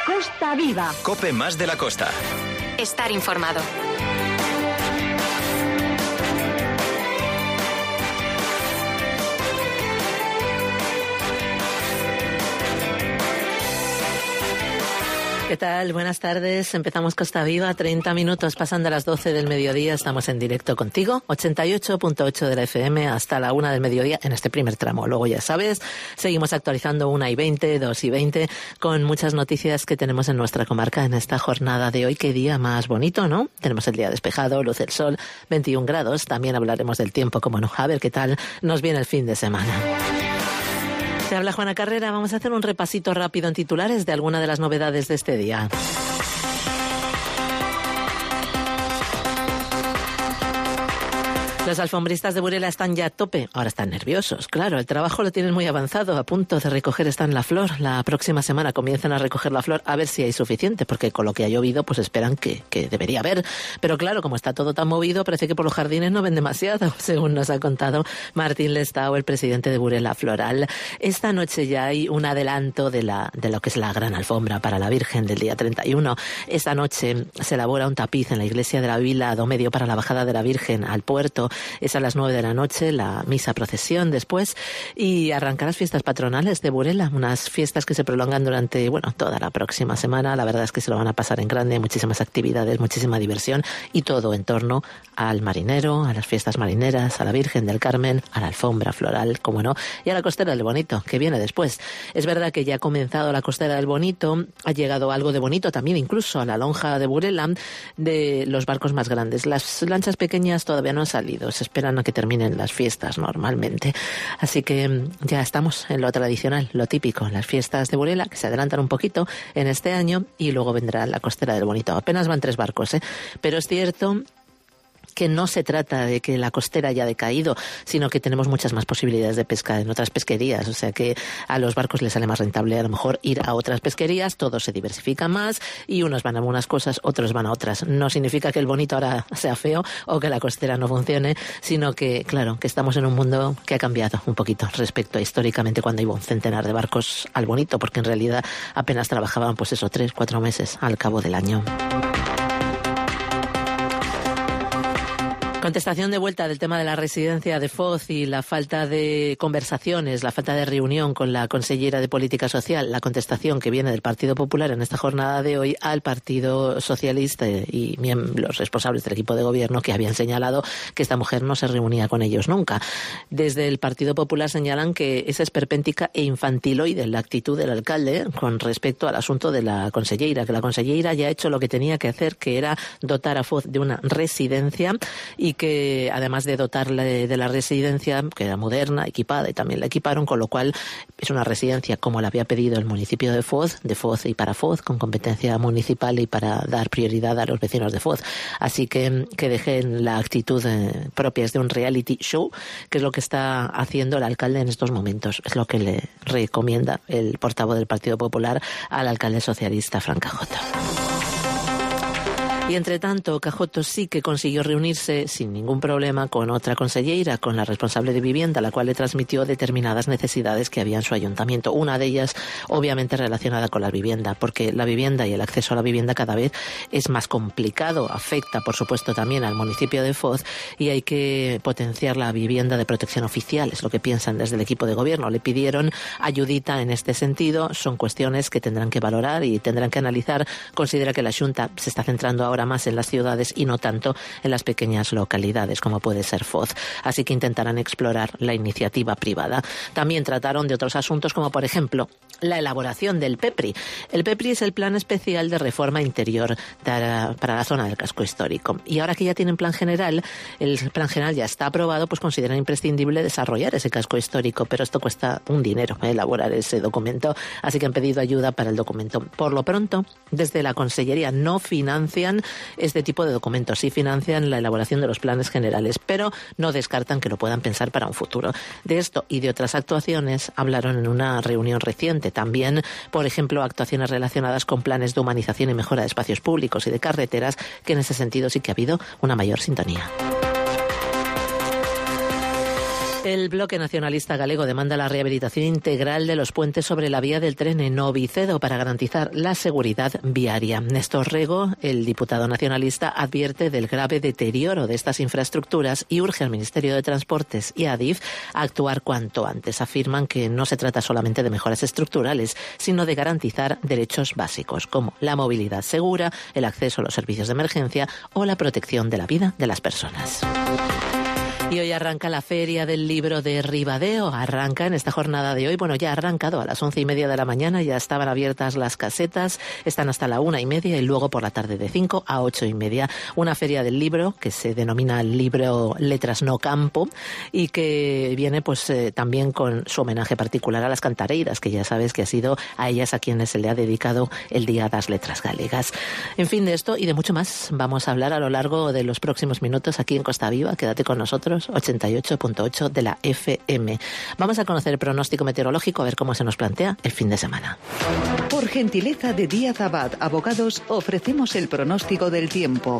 Costa Viva. COPE más de la costa. Estar informado. ¿Qué tal? Buenas tardes. Empezamos Costa Viva, 30 minutos pasando a las 12 del mediodía. Estamos en directo contigo, 88.8 de la FM hasta la 1 del mediodía en este primer tramo. Luego ya sabes, seguimos actualizando 1:20, 2:20 con muchas noticias que tenemos en nuestra comarca en esta jornada de hoy. Qué día más bonito, ¿no? Tenemos el día despejado, luce el sol, 21 grados. También hablaremos del tiempo, como no. A ver qué tal nos viene el fin de semana. Te habla Juana Carrera. Vamos a hacer un repasito rápido en titulares de alguna de las novedades de este día. Los alfombristas de Burela están ya a tope. Ahora están nerviosos. Claro, el trabajo lo tienen muy avanzado. A punto de recoger están la flor. La próxima semana comienzan a recoger la flor a ver si hay suficiente, porque con lo que ha llovido pues esperan que debería haber. Pero claro, como está todo tan movido, parece que por los jardines no ven demasiado, según nos ha contado Martín Lestao, el presidente de Burela Floral. Esta noche ya hay un adelanto de lo que es la gran alfombra para la Virgen del día 31. Esta noche se elabora un tapiz en la iglesia de la Vila do Medio para la bajada de la Virgen al puerto. Es a las 9 de la noche, la misa procesión después, y arrancar las fiestas patronales de Burela, unas fiestas que se prolongan durante, toda la próxima semana. La verdad es que se lo van a pasar en grande, muchísimas actividades, muchísima diversión, y todo en torno al marinero, a las fiestas marineras, a la Virgen del Carmen, a la alfombra floral, como no, y a la costera del Bonito, que viene después. Es verdad que ya ha comenzado la costera del Bonito, ha llegado algo de bonito también, incluso a la lonja de Burela, de los barcos más grandes. Las lanchas pequeñas todavía no han salido, se esperan a que terminen las fiestas normalmente. Así que ya estamos en lo tradicional, lo típico, las fiestas de Burela, que se adelantan un poquito en este año, y luego vendrá la costera del Bonito. Apenas van 3 barcos, pero es cierto que no se trata de que la costera haya decaído, sino que tenemos muchas más posibilidades de pesca en otras pesquerías, o sea que a los barcos les sale más rentable a lo mejor ir a otras pesquerías, todo se diversifica más y unos van a unas cosas, otros van a otras. No significa que el Bonito ahora sea feo o que la costera no funcione, sino que, claro, que estamos en un mundo que ha cambiado un poquito respecto a históricamente cuando iba un centenar de barcos al Bonito, porque en realidad apenas trabajaban 3-4 meses al cabo del año. Contestación de vuelta del tema de la residencia de Foz y la falta de conversaciones, la falta de reunión con la consellera de Política Social. La contestación que viene del Partido Popular en esta jornada de hoy al Partido Socialista y los responsables del equipo de gobierno, que habían señalado que esta mujer no se reunía con ellos nunca. Desde el Partido Popular señalan que es esperpéntica e infantiloide la actitud del alcalde con respecto al asunto de la consellera, que la consellera ya ha hecho lo que tenía que hacer, que era dotar a Foz de una residencia, y que además de dotarle de la residencia, que era moderna, equipada, y también la equiparon, con lo cual es una residencia como la había pedido el municipio de Foz y para Foz, con competencia municipal y para dar prioridad a los vecinos de Foz. Así que dejen la actitud propia de un reality show, que es lo que está haciendo el alcalde en estos momentos. Es lo que le recomienda el portavoz del Partido Popular al alcalde socialista, Fran Cajoto. Y entre tanto, Cajoto sí que consiguió reunirse sin ningún problema con otra consellera, con la responsable de vivienda, la cual le transmitió determinadas necesidades que había en su ayuntamiento. Una de ellas, obviamente, relacionada con la vivienda, porque la vivienda y el acceso a la vivienda cada vez es más complicado. Afecta, por supuesto, también al municipio de Foz, y hay que potenciar la vivienda de protección oficial. Es lo que piensan desde el equipo de gobierno. Le pidieron ayudita en este sentido. Son cuestiones que tendrán que valorar y tendrán que analizar. Considera que la Xunta se está centrando ahora más en las ciudades y no tanto en las pequeñas localidades como puede ser Foz. Así que intentarán explorar la iniciativa privada. También trataron de otros asuntos, como por ejemplo la elaboración del PEPRI. El PEPRI es el Plan Especial de Reforma Interior para la zona del casco histórico. Y ahora que ya tienen plan general, el plan general ya está aprobado, pues consideran imprescindible desarrollar ese casco histórico, pero esto cuesta un dinero, elaborar ese documento, así que han pedido ayuda para el documento. Por lo pronto, desde la Consellería no financian este tipo de documentos, sí financian la elaboración de los planes generales, pero no descartan que lo puedan pensar para un futuro. De esto y de otras actuaciones hablaron en una reunión reciente. También, por ejemplo, actuaciones relacionadas con planes de humanización y mejora de espacios públicos y de carreteras, que en ese sentido sí que ha habido una mayor sintonía. El Bloque Nacionalista Galego demanda la rehabilitación integral de los puentes sobre la vía del tren en Novicedo para garantizar la seguridad viaria. Néstor Rego, el diputado nacionalista, advierte del grave deterioro de estas infraestructuras y urge al Ministerio de Transportes y a Adif a actuar cuanto antes. Afirman que no se trata solamente de mejoras estructurales, sino de garantizar derechos básicos como la movilidad segura, el acceso a los servicios de emergencia o la protección de la vida de las personas. Y hoy arranca la Feria del Libro de Ribadeo. Arranca en esta jornada de hoy. Bueno, ya ha arrancado a las 11:30 de la mañana. Ya estaban abiertas las casetas. Están hasta la 1:30 y luego por la tarde de 5 a 8:30. Una feria del libro que se denomina el libro Letras no Campo y que viene pues también con su homenaje particular a las cantareiras, que ya sabes que ha sido a ellas a quienes se le ha dedicado el Día das Letras Galegas. En fin, de esto y de mucho más vamos a hablar a lo largo de los próximos minutos aquí en Costa Viva. Quédate con nosotros. 88.8 de la FM. Vamos a conocer el pronóstico meteorológico, a ver cómo se nos plantea el fin de semana. Por gentileza de Díaz Abad Abogados, ofrecemos el pronóstico del tiempo.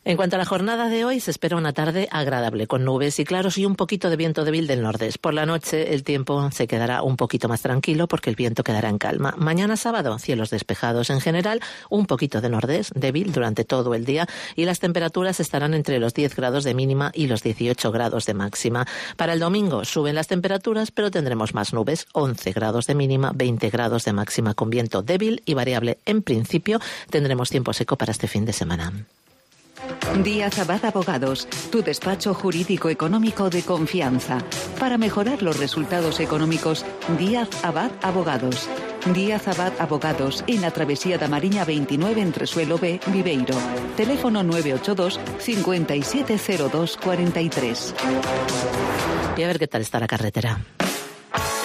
En cuanto a la jornada de hoy, se espera una tarde agradable, con nubes y claros y un poquito de viento débil del nordeste. Por la noche el tiempo se quedará un poquito más tranquilo porque el viento quedará en calma. Mañana sábado, cielos despejados en general, un poquito de nordeste débil durante todo el día y las temperaturas estarán entre los 10 grados de mínima y los 18 grados de máxima. Para el domingo suben las temperaturas, pero tendremos más nubes, 11 grados de mínima, 20 grados de máxima con viento débil y variable. En principio tendremos tiempo seco para este fin de semana. Díaz Abad Abogados, tu despacho jurídico económico de confianza. Para mejorar los resultados económicos, Díaz Abad Abogados. Díaz Abad Abogados, en la Travesía da Mariña 29 entre Suelo B, Viveiro. Teléfono 982 570243. Y a ver qué tal está la carretera.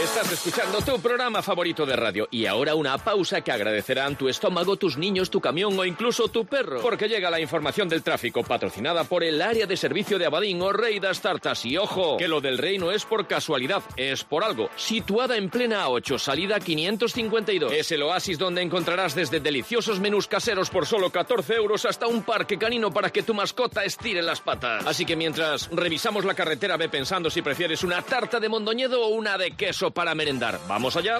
Estás escuchando tu programa favorito de radio y ahora una pausa que agradecerán tu estómago, tus niños, tu camión o incluso tu perro, porque llega la información del tráfico patrocinada por el área de servicio de Abadín o Rey das Tartas. Y ojo, que lo del Rey no es por casualidad, es por algo. Situada en plena A8, salida 552. Es el oasis donde encontrarás desde deliciosos menús caseros por solo 14 euros hasta un parque canino para que tu mascota estire las patas. Así que mientras revisamos la carretera, ve pensando si prefieres una tarta de Mondoñedo o una de queso para merendar. ¿Vamos allá?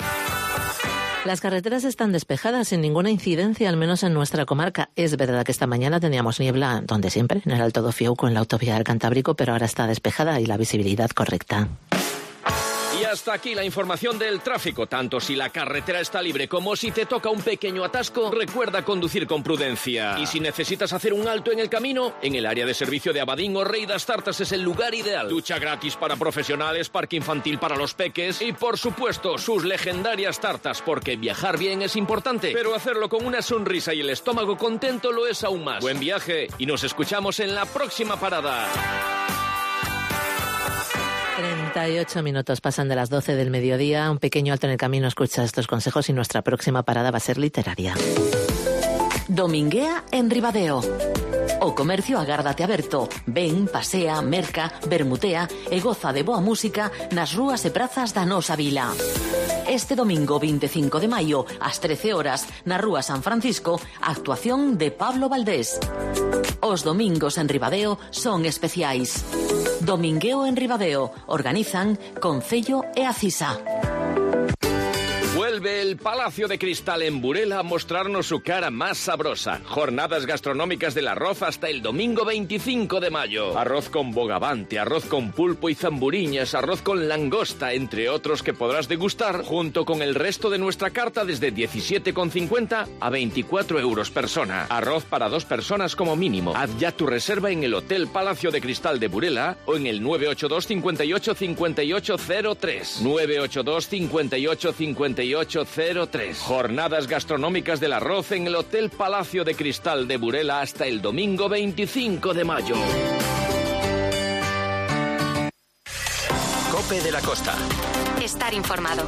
Las carreteras están despejadas sin ninguna incidencia, al menos en nuestra comarca. Es verdad que esta mañana teníamos niebla donde siempre, en el Alto do Fiouco, en la autovía del Cantábrico, pero ahora está despejada y la visibilidad correcta. Y hasta aquí la información del tráfico. Tanto si la carretera está libre como si te toca un pequeño atasco, recuerda conducir con prudencia. Y si necesitas hacer un alto en el camino, en el área de servicio de Abadín o Rey das Tartas es el lugar ideal. Ducha gratis para profesionales, parque infantil para los peques y, por supuesto, sus legendarias tartas, porque viajar bien es importante, pero hacerlo con una sonrisa y el estómago contento lo es aún más. Buen viaje y nos escuchamos en la próxima parada. 38 minutos pasan de las 12 del mediodía. Un pequeño alto en el camino, escucha estos consejos y nuestra próxima parada va a ser literaria. Dominguea en Ribadeo. O comercio agárdate aberto. Ven, pasea, merca, bermutea e goza de boa música nas rúas e prazas da nosa vila. Este domingo 25 de maio, ás 13 horas, na Rúa San Francisco, actuación de Pablo Valdés. Os domingos en Ribadeo son especiais. Domingueo en Ribadeo. Organizan Concello e Acisa. Vuelve el Palacio de Cristal en Burela a mostrarnos su cara más sabrosa. Jornadas gastronómicas del arroz hasta el domingo 25 de mayo. Arroz con bogavante, arroz con pulpo y zamburiñas, arroz con langosta, entre otros que podrás degustar junto con el resto de nuestra carta desde 17,50 a 24 euros persona. Arroz para 2 personas como mínimo. Haz ya tu reserva en el Hotel Palacio de Cristal de Burela o en el 982 58 58 03. 982 58 58 03. Jornadas gastronómicas del arroz en el Hotel Palacio de Cristal de Burela hasta el domingo 25 de mayo. Cope de la Costa. Estar informado.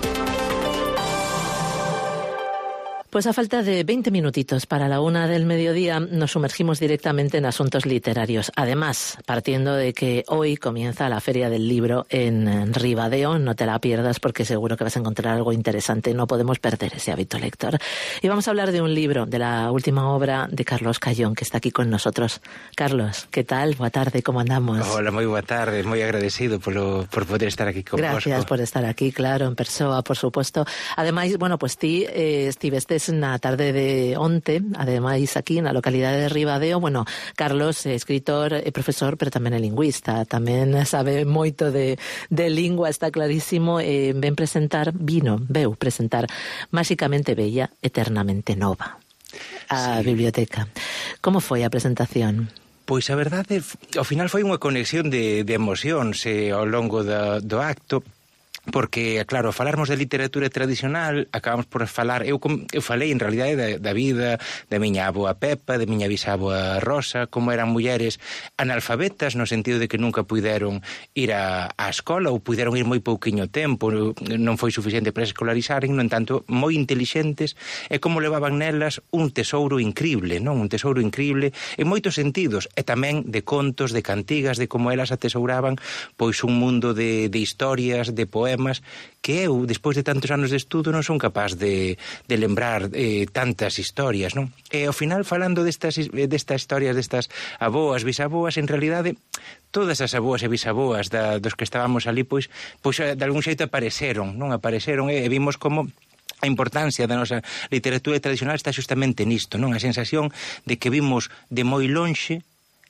Pues a falta de 20 minutitos para la 1 del mediodía nos sumergimos directamente en asuntos literarios. Además, partiendo de que hoy comienza la Feria del Libro en Ribadeo, no te la pierdas porque seguro que vas a encontrar algo interesante. No podemos perder ese hábito lector. Y vamos a hablar de un libro, de la última obra de Carlos Callón, que está aquí con nosotros. Carlos, ¿qué tal? Boa tarde, ¿cómo andamos? Hola, moi boa tarde, moi agradecido por poder estar aquí con vos. Gracias por estar aquí, claro, en persoa, por supuesto. Ademais, bueno, pues ti estivestes na tarde de onte, ademais aquí na localidade de Ribadeo. Bueno, Carlos é escritor e profesor, pero tamén é lingüista, tamén sabe moito de lingua, está clarísimo, veu presentar Máxicamente Bella, Eternamente Nova, a biblioteca. Como foi a presentación? Pois a verdade, ao final foi unha conexión de emocións ao longo do acto, porque, claro, falarmos de literatura tradicional, acabamos por falar, eu falei en realidade da vida da miña avoa Pepa, da miña bisavoa Rosa, como eran mulleres analfabetas, no sentido de que nunca puideron ir á escola, ou puideron ir moi pouquiño tempo, non foi suficiente para escolarizaren, no entanto, moi intelixentes, e como levaban nelas un tesouro incrible, non? Un tesouro incrible en moitos sentidos, e tamén de contos, de cantigas, de como elas atesouraban pois un mundo de historias, de poemas, que eu, despois de tantos anos de estudo, non son capaz de lembrar tantas historias, non? E ao final, falando destas historias, destas avoas, bisaboas, en realidade, todas as avoas e bisaboas dos que estábamos ali, pois de algún xeito apareceron, non? Apareceron e vimos como a importancia da nosa literatura tradicional está justamente nisto, non? A sensación de que vimos de moi lonxe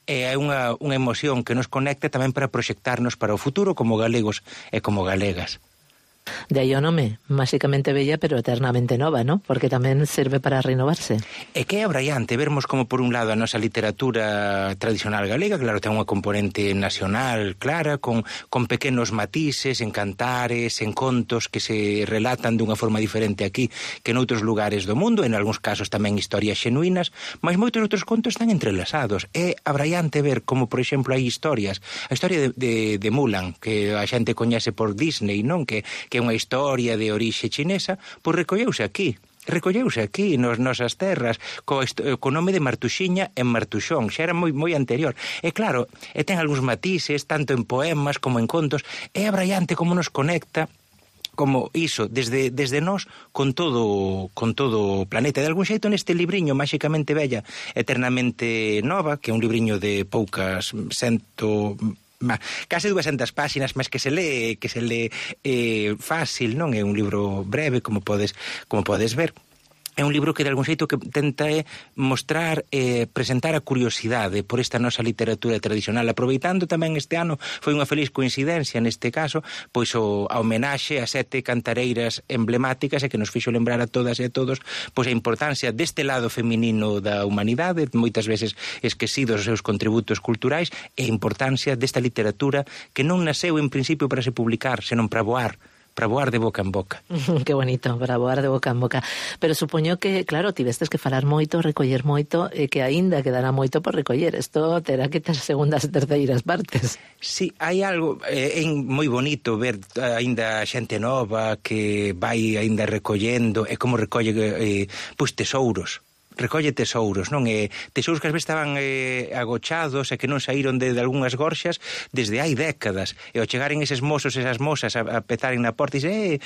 e hai unha emoción que nos conecta tamén para proxectarnos para o futuro como galegos e como galegas. De aí o nome, Máxicamente Bella, pero Eternamente Nova, ¿no? Porque tamén serve para renovarse. E que é abraiante vermos como, por un lado, a nosa literatura tradicional galega, claro, ten unha componente nacional clara, con pequenos matices, en cantares, en contos que se relatan dunha forma diferente aquí que en outros lugares do mundo, en algúns casos tamén historias xenuínas, mas moitos outros contos están entrelazados. É abraiante ver como, por exemplo, hai historias. A historia de Mulan, que a xente coñece por Disney, non? Que é unha historia de orixe chinesa, pois recolleuse aquí nas nosas terras, co nome de Martuxiña en Martuxón, xa era moi anterior. E claro, ten algúns matices, tanto en poemas como en contos, é abraiante como nos conecta, como iso, desde nós, con todo o planeta. De algún xeito, neste libriño, Máxicamente Bella, Eternamente Nova, que é un libriño de poucas case 200 páxinas, mas que se lee fácil, non? É un libro breve, como podes ver. É un libro que de algún xeito que tenta mostrar presentar a curiosidade por esta nosa literatura tradicional, aproveitando tamén este ano, foi unha feliz coincidencia neste caso, pois a homenaxe a 7 cantareiras emblemáticas e que nos fixo lembrar a todas e a todos pois a importancia deste lado feminino da humanidade, moitas veces esquecidos os seus contributos culturais, e a importancia desta literatura que non nasceu en principio para se publicar, senón para voar de boca en boca. Qué bonito, para voar de boca en boca. Pero supoño que, claro, tivestes que falar moito, recoller moito, e que aínda quedará moito por recoller. Isto terá que ter segundas e terceiras partes. Sí, hai algo moi bonito ver aínda xente nova que vai aínda recollendo, e como recolle pois tesouros. Recolle tesouros, non? Tesouros que ás veces estaban agochados e que non saíron de algunhas gorxas desde hai décadas. E ao chegaren eses mozos e esas mozas a petaren na porta e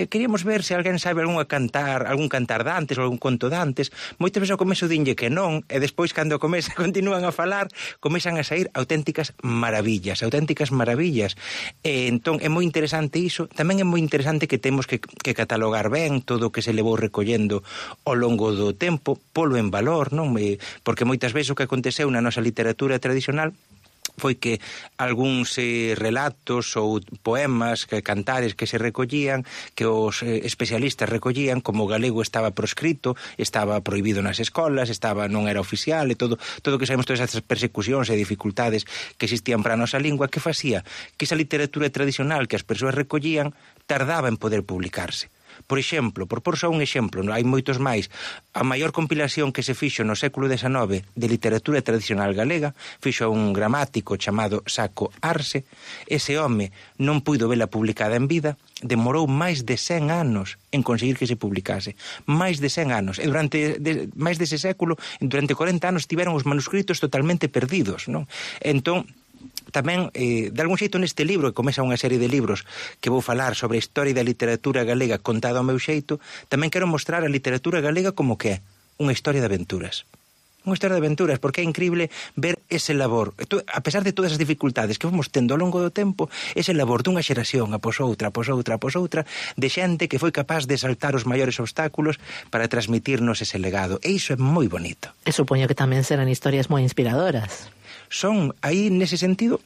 queríamos ver se alguén sabe algún cantar de antes ou algún conto de antes. Moitas veces ao comezo dinlle que non, e despois cando continúan a falar, comezan a sair auténticas maravillas. Entón, é moi interesante iso. Tamén é moi interesante que temos que catalogar ben todo o que se levou recollendo ao longo do tempo, polo en valor, non? Porque moitas veces o que aconteceu na nosa literatura tradicional foi que algúns relatos ou poemas, cantares que se recollían, que os especialistas recollían, como o galego estaba proscrito, estaba prohibido nas escolas, non era oficial, e todo que sabemos, todas esas persecucións e dificultades que existían para a nosa lingua, que facía que esa literatura tradicional que as persoas recollían tardaba en poder publicarse. Por exemplo, por só un exemplo, hai moitos máis, a maior compilación que se fixo no século XIX de literatura tradicional galega fixo un gramático chamado Saco Arce. Ese home non puido vela publicada en vida, demorou máis de 100 anos en conseguir que se publicase. Máis de 100 anos. E durante máis dese século, durante 40 anos, tiveron os manuscritos totalmente perdidos, non? Entón, tamén, de algún xeito neste libro, que comeza unha serie de libros que vou falar sobre a historia da literatura galega contada ao meu xeito, tamén quero mostrar a literatura galega como que é unha historia de aventuras. Unha historia de aventuras, porque é increíble ver ese labor, a pesar de todas as dificultades que fomos tendo ao longo do tempo, ese labor dunha xeración após outra, de xente que foi capaz de saltar os maiores obstáculos para transmitirnos ese legado. E iso é moi bonito. E supoño que tamén serán historias moi inspiradoras. Son, aí nese sentido,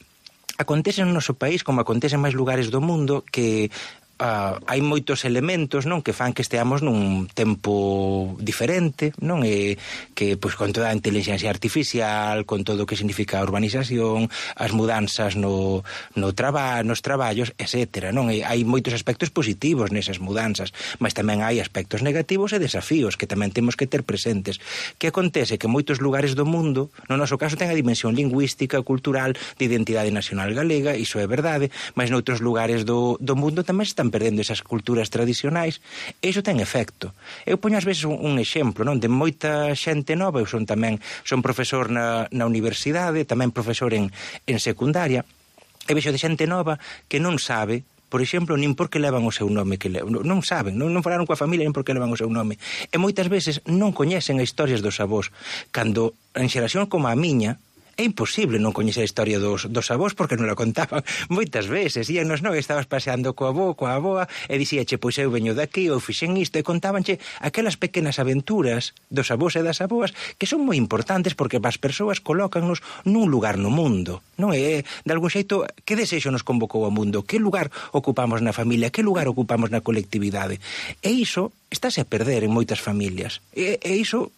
acontece no noso país, como acontece en máis lugares do mundo, que hai moitos elementos, non, que fan que esteamos nun tempo diferente, non, e que pois con toda a inteligencia artificial, con todo o que significa a urbanización, as mudanzas nos traballos, etcétera, non? E hai moitos aspectos positivos nesas mudanzas, mas tamén hai aspectos negativos e desafíos que tamén temos que ter presentes. Que acontece que moitos lugares do mundo, no noso caso ten a dimensión lingüística, cultural, de identidade nacional galega, iso é verdade, mas noutros lugares do mundo tamén están perdendo esas culturas tradicionais, e iso ten efecto. Eu poño ás veces un exemplo, non, de moita xente nova. Eu son profesor na universidade, tamén profesor en secundaria, e vexo de xente nova que non sabe, por exemplo, nin por que levan o seu nome, non saben, non falaron coa familia nin por que levan o seu nome, e moitas veces non coñecen as historias dos avós, cando en xeración como a miña é imposible non coñecer a historia dos avós, porque non la contaban moitas veces. Íanos, non, estabas paseando co avó, coa avoa, e dicíache, pois eu veño daqui, ou fixen isto, e contábanche aquelas pequenas aventuras dos avós e das avoas que son moi importantes, porque as persoas colócannos nun lugar no mundo, non é? De algún xeito, que desexo nos convocou ao mundo? Que lugar ocupamos na familia? Que lugar ocupamos na colectividade? E iso estáse a perder en moitas familias. E iso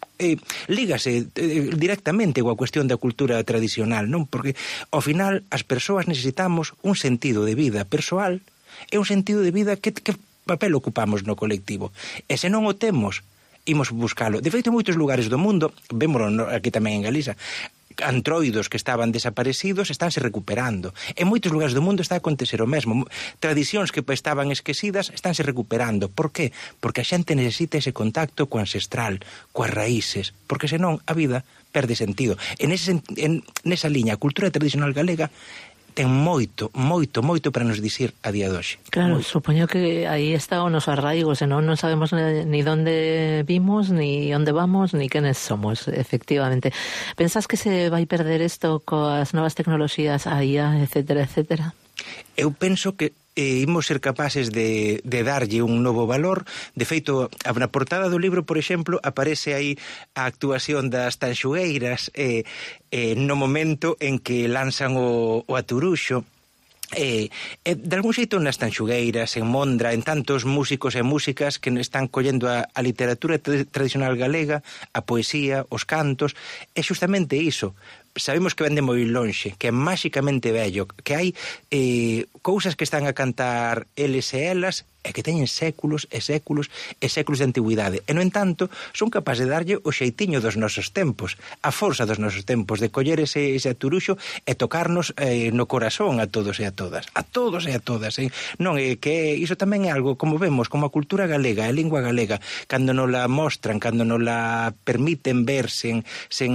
lígase directamente coa cuestión da cultura tradicional, non? Porque, ao final, as persoas necesitamos un sentido de vida persoal e un sentido de vida que papel ocupamos no colectivo. E se non o temos, imos buscalo. De feito, en moitos lugares do mundo, vémolo aquí tamén en Galiza, antroidos que estaban desaparecidos estánse recuperando. En moitos lugares do mundo está a acontecer o mesmo. Tradicións que estaban esquecidas estánse recuperando. Por qué? Porque a xente necesita ese contacto co ancestral, coas raíces, porque senón a vida perde sentido. Nesa liña, a cultura tradicional galega ten moito para nos dicir a día de hoxe. Claro, supoño que aí está o noso arraigo, senón non sabemos ni onde vimos, ni onde vamos, ni quenes somos, efectivamente. Pensás que se vai perder isto coas novas tecnoloxías, a IA, etcétera, etcétera? Eu penso que imos ser capaces de darlle un novo valor. De feito, na portada do libro, por exemplo, aparece aí a actuación das tanxugueiras no momento en que lanzan o aturuxo. De algún xeito nas tanxugueiras, en Mondra, en tantos músicos e músicas que están collendo a literatura tradicional galega, a poesía, os cantos, é justamente iso. Sabemos que vende moi lonxe, que é máxicamente bello, que hai cousas que están a cantar eles e elas e que teñen séculos e séculos e séculos de antigüidade. E, no entanto, son capaces de darlle o xeitiño dos nosos tempos, a forza dos nosos tempos, de coller ese aturuxo e tocarnos no corazón a todos e a todas. A todos e a todas. Non, que iso tamén é algo, como vemos, como a cultura galega, a lingua galega, cando nos la mostran, cando nos la permiten ver sen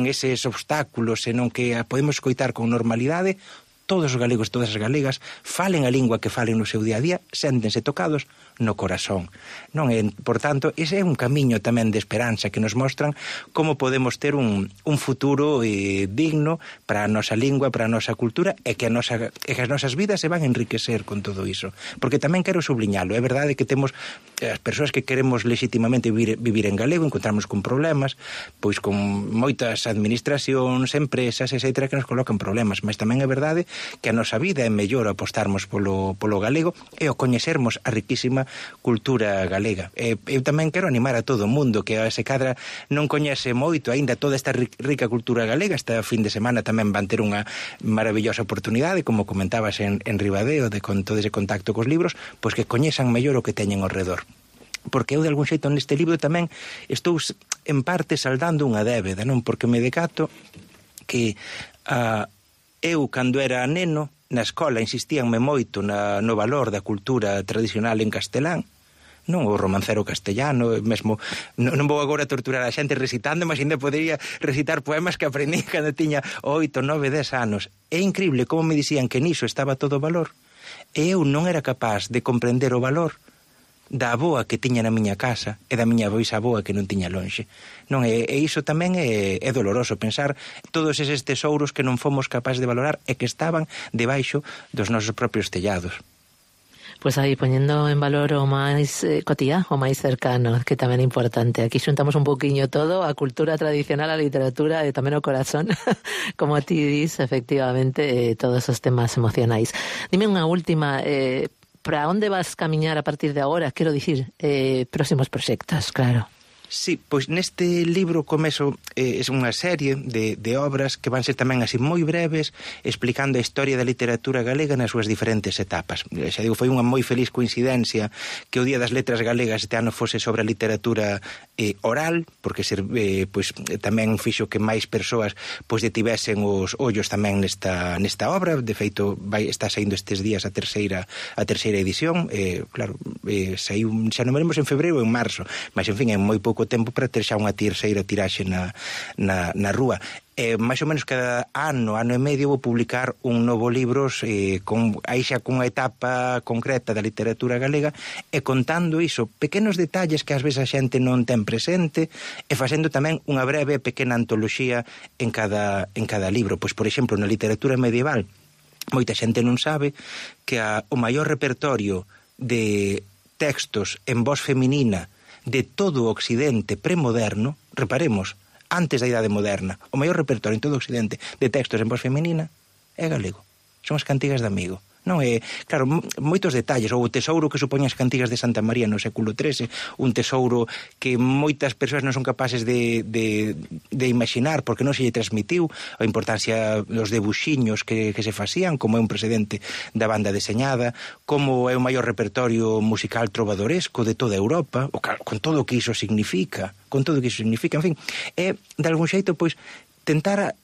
eses obstáculos, senón que a podemos escoitar con normalidade, todos os galegos, todas as galegas, falen a lingua que falen no seu día a día, séntense tocados no corazón. Non é, por tanto, ese é un camiño tamén de esperanza que nos mostran como podemos ter un futuro digno para a nosa lingua, para a nosa cultura, e que as nosas vidas se van a enriquecer con todo iso. Porque tamén quero subliñalo, é verdade que temos as persoas que queremos legitimamente vivir en galego, encontramos con problemas, pois con moitas administracións, empresas, etcétera, que nos colocan problemas, mas tamén é verdade que a nosa vida é mellor apostarmos polo galego e o coñecermos a riquísima cultura galega. Eu tamén quero animar a todo o mundo que se cadra non coñece moito aínda toda esta rica cultura galega. Esta fin de semana tamén van ter unha maravillosa oportunidade, como comentabas en Ribadeo, con todo ese contacto cos libros, pois que coñezan mellor o que teñen ao redor. Porque eu, de algún xeito, neste libro tamén estou en parte saldando unha débeda, non? Porque me decato que eu, cando era neno, na escola insistíanme moito no valor da cultura tradicional en castelán, non o romancero castellano, mesmo non vou agora torturar a xente recitando, mas ainda podería recitar poemas que aprendí cando tiña 8, 9, 10 anos. É increíble como me dicían que niso estaba todo o valor, e eu non era capaz de comprender o valor da avoa que tiña na miña casa e da miña bisavoa que non tiña lonxe. Non, e iso tamén é doloroso pensar todos eses tesouros que non fomos capaces de valorar e que estaban debaixo dos nosos propios tellados. Pois aí, poñendo en valor o máis cotiá, o máis cercano, que tamén é importante. Aquí xuntamos un poquinho todo, a cultura tradicional, a literatura e tamén o corazón, como ti dis, efectivamente, todos os temas emocionais. Dime unha última, para onde vas camiñar a partir de agora? Quero dicir, próximos proxectos, claro. Sí, pois neste libro comezo é unha serie de obras que van ser tamén así moi breves, explicando a historia da literatura galega nas súas diferentes etapas. Xa digo, foi unha moi feliz coincidencia que o Día das Letras Galegas este ano fose sobre a literatura oral, porque pois tamén fixo que máis persoas pois detivesen os ollos tamén nesta obra. De feito, está saindo estes días a terceira edición, claro, saiu, xa non veremos en febreiro ou en marzo, mas en fin, é moi pouco tempo para ter xa unha terceira tiraxe na rúa. máis ou menos cada ano e medio vou publicar un novo libro aí xa cunha etapa concreta da literatura galega e contando iso, pequenos detalles que ás veces a xente non ten presente e facendo tamén unha breve pequena antoloxía en cada libro. Pois, por exemplo, na literatura medieval moita xente non sabe que o maior repertorio de textos en voz feminina de todo o occidente premoderno, reparemos, antes da Idade Moderna, o maior repertorio en todo o occidente de textos en voz feminina é galego. Son as cantigas de Amigo. Non é, claro, moitos detalles, ou o tesouro que supoñen as cantigas de Santa María no século XIII, un tesouro que moitas persoas non son capaces de imaginar porque non se lle transmitiu a importancia dos debuxiños que se facían, como é un precedente da banda deseñada, como é o maior repertorio musical trovadoresco de toda Europa, con todo o que iso significa, en fin, é, de algún xeito, pois, tentar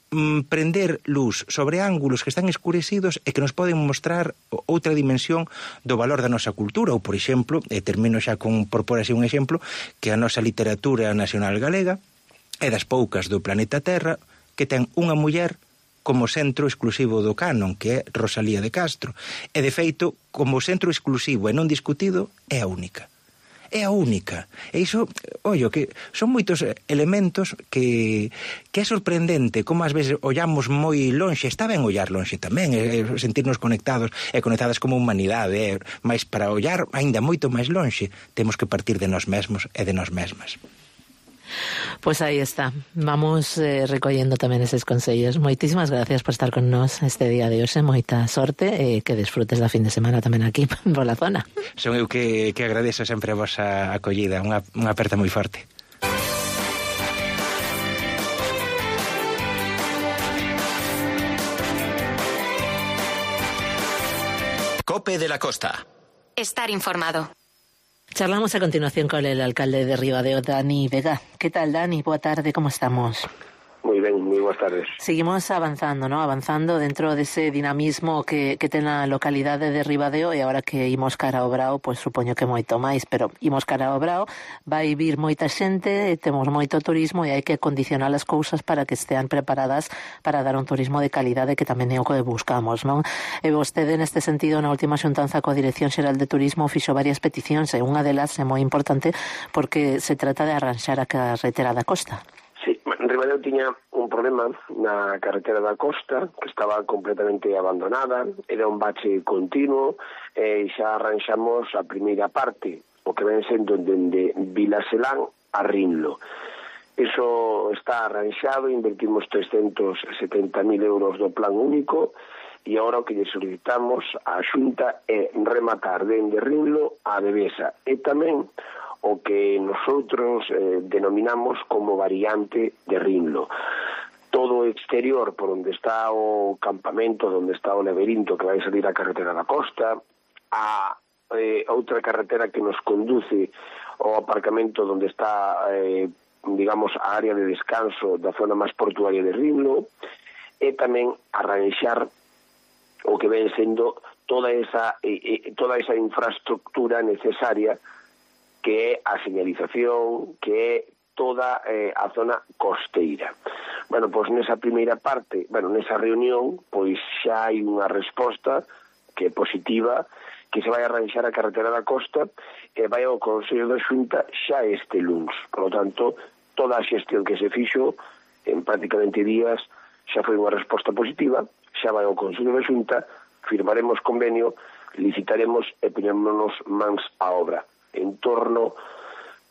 prender luz sobre ángulos que están escurecidos e que nos poden mostrar outra dimensión do valor da nosa cultura, ou, por exemplo, termino xa por pôr así un exemplo, que a nosa literatura nacional galega é das poucas do planeta Terra que ten unha muller como centro exclusivo do canon, que é Rosalía de Castro, e, de feito, como centro exclusivo e non discutido, é a única. É a única. E iso, ollo, que son moitos elementos que é sorprendente como ás veces ollamos moi lonxe. Está ben ollar lonxe tamén, sentirnos conectados e conectadas como humanidade, mas para ollar aínda moito máis lonxe temos que partir de nós mesmos e de nós mesmas. Pois aí está, vamos recollendo tamén eses consellos. Moitísimas gracias por estar con nós este día de hoxe, moita sorte e que desfrutes da fin de semana tamén aquí pola zona. Son eu que agradezo sempre a vosa acollida, unha aperta moi forte. Cope de la Costa. Estar informado. Charlamos a continuación con el alcalde de Ribadeo, Dani Vega. ¿Qué tal, Dani? Boa tarde, ¿cómo estamos? Moi ben, moi boas tardes. Seguimos avanzando, ¿no? Avanzando dentro dese dinamismo que ten a localidade de Ribadeo, e agora que imos cara ao Brao, pois supoño que moito máis, pero imos cara ao Brao, vai vir moita xente, temos moito turismo e hai que condicionar as cousas para que estean preparadas para dar un turismo de calidade, que tamén é o que buscamos, non? E vostede, neste sentido, na última xuntanza coa Dirección Xeral de Turismo fixo varias peticións, e unha delas é moi importante porque se trata de arranxar a carretera da costa. Sí, Ribadeo tiña un problema na carretera da costa que estaba completamente abandonada, era un bache continuo e xa arranxamos a primeira parte, o que ven sendo dende Vilaselán a Rinlo. Iso está arranxado, invertimos 370.000 euros do plan único e agora o que lle solicitamos á Xunta é rematar dende Rinlo a Devesa e tamén o que nosotros denominamos como variante de Rinlo. Todo o exterior por onde está o campamento, onde está o laberinto que vai salir a carretera da costa, a outra carretera que nos conduce ao aparcamento onde está, digamos, a área de descanso da zona máis portuaria de Rinlo, e tamén arranxar o que ven sendo toda esa infraestructura necesaria que é a señalización, que é toda a zona costeira. Bueno, pois nesa primeira parte, nesa reunión, pois xa hai unha resposta que é positiva, que se vai arranxar a carretera da costa e vai ao Consello da Xunta xa este luns. Por lo tanto, toda a xestión que se fixo en prácticamente días xa foi unha resposta positiva, xa vai ao Consello da Xunta, firmaremos convenio, licitaremos e poñémonos mans á obra. En torno,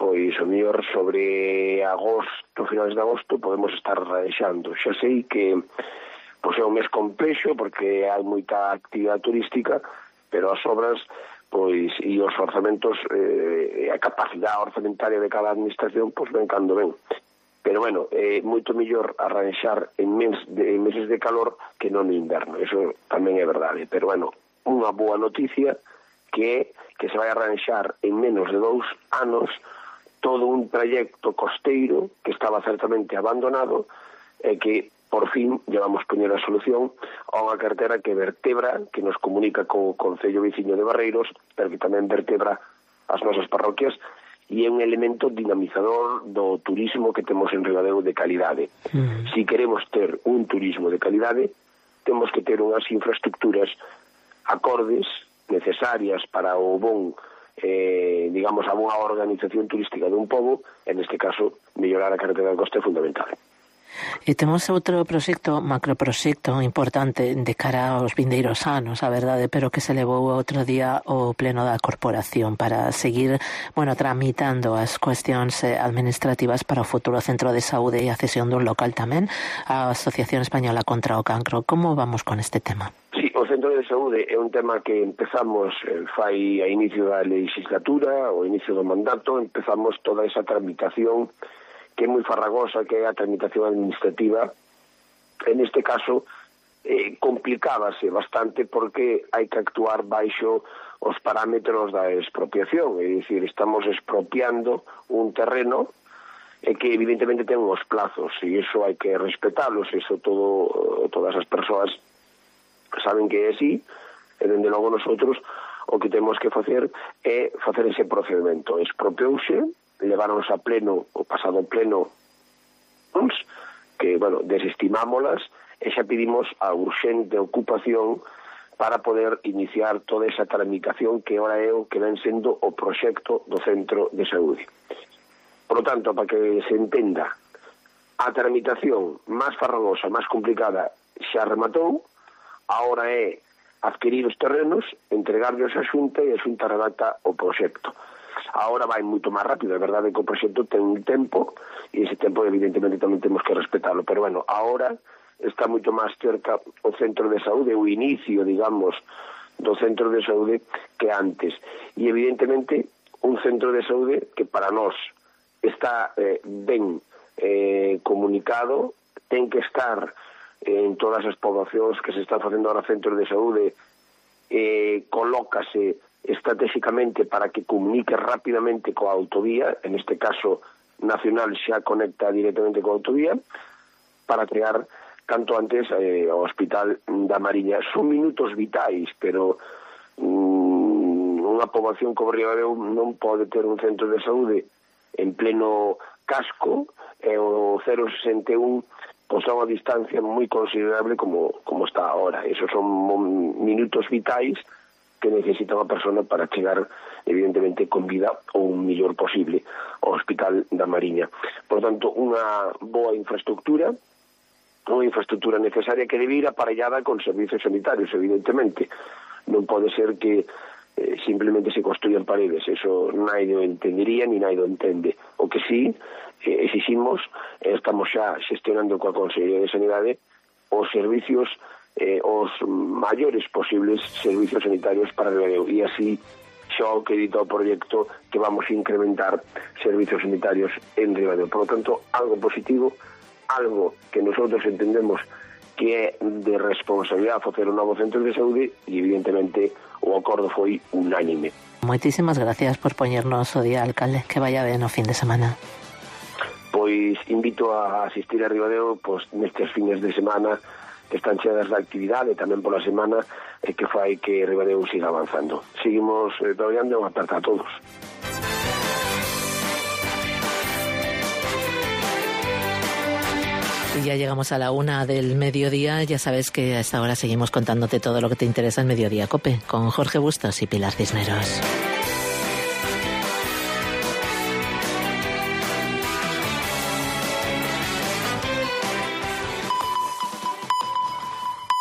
pois, o mellor sobre agosto, finales de agosto, podemos estar arranxando. Xa sei que pois é un mes complexo porque hai moita actividade turística, pero as obras pois e os orzamentos a capacidade orzamentaria de cada administración pois ven cando ven. Pero bueno, é moito mellor arranxar en meses de calor que non no inverno, eso tamén é verdade. Pero bueno, unha boa noticia que é que se vai arranxar en menos de 2 anos todo un trayecto costeiro que estaba certamente abandonado e que por fin llevamos poñer a solución a unha carretera que vertebra, que nos comunica co Concello Veciño de Barreiros, pero que tamén vertebra as nosas parroquias e é un elemento dinamizador do turismo que temos en Ribadeo de calidade. Si queremos ter un turismo de calidade, temos que ter unhas infraestructuras acordes, necesarias para o bon digamos, a boa organización turística dun pobo, en este caso, mellorar a carretera da costa é fundamental. E temos outro proxecto, macroproxecto importante de cara aos vindeiros anos, a verdade, pero que se levou outro día ao pleno da corporación para seguir, tramitando as cuestións administrativas para o futuro centro de saúde e a cesión dun local tamén á Asociación Española contra o Cancro. Como vamos con este tema? Sí, o centro de saúde é un tema que empezamos fai a inicio da legislatura, ao inicio do mandato, empezamos toda esa tramitación que é moi farragosa, que é a tramitación administrativa. En este caso, complicábase bastante porque hai que actuar baixo os parámetros da expropiación, é dicir, estamos expropiando un terreno que evidentemente ten uns plazos, e iso hai que respetalos, iso todas as persoas saben que é así, e dende logo nosotros o que temos que facer é facer ese procedimento. Expropiouse, leváronos a pleno, o pasado pleno, que, desestimámolas, e xa pedimos a urxente ocupación para poder iniciar toda esa tramitación que ora é o que ven sendo o proxecto do centro de saúde. Por lo tanto, para que se entenda, a tramitación máis farragosa, máis complicada, xa rematou, agora é adquirir os terrenos, entregarlos á Xunta e a Xunta redacta o proxecto. Agora vai moito máis rápido, é verdade que o proxecto ten un tempo e ese tempo evidentemente tamén temos que respetarlo, pero agora está moito máis cerca o centro de saúde, o inicio, digamos, do centro de saúde que antes. E evidentemente un centro de saúde que para nós está ben comunicado, ten que estar en todas as poboacións que se están facendo ahora centros de saúde, colócase estratégicamente para que comunique rapidamente coa autovía, en este caso nacional xa conecta directamente coa autovía, para crear canto antes o Hospital da Mariña. Son minutos vitais, pero unha poboación como Ribadeo non pode ter un centro de saúde en pleno casco, e o 061 pois a unha distancia moi considerable como está agora. Esos son minutos vitais que necesita unha persona para chegar, evidentemente, con vida o un mellor posible ao Hospital da Mariña. Por tanto, unha boa infraestructura, unha infraestructura necesaria que debe ir aparellada con servicios sanitarios, evidentemente. Non pode ser que simplemente se construyan paredes, eso nadie o entendería ni nadie o entende. O que sí exiximos, estamos xa xestionando coa Consellería de Sanidade os servicios, os maiores posibles servicios sanitarios para Ribadeo, e así xa o que dita o proxecto que vamos a incrementar servicios sanitarios en Ribadeo. Por lo tanto, algo positivo, algo que nosotros entendemos que é de responsabilidade facer un novo centro de saúde, e evidentemente o acordo foi unánime. Moitísimas gracias por poñernos o día, alcalde, que vaya ben o fin de semana. Pois invito a asistir a Ribadeo nestes fines de semana que están cheas de actividade tamén pola semana que fai que Ribadeo siga avanzando. Seguimos traballando e unha aperta a todos. Y ya llegamos a la 1 del mediodía. Ya sabes que a esta hora seguimos contándote todo lo que te interesa en Mediodía COPE con Jorge Bustos y Pilar Cisneros.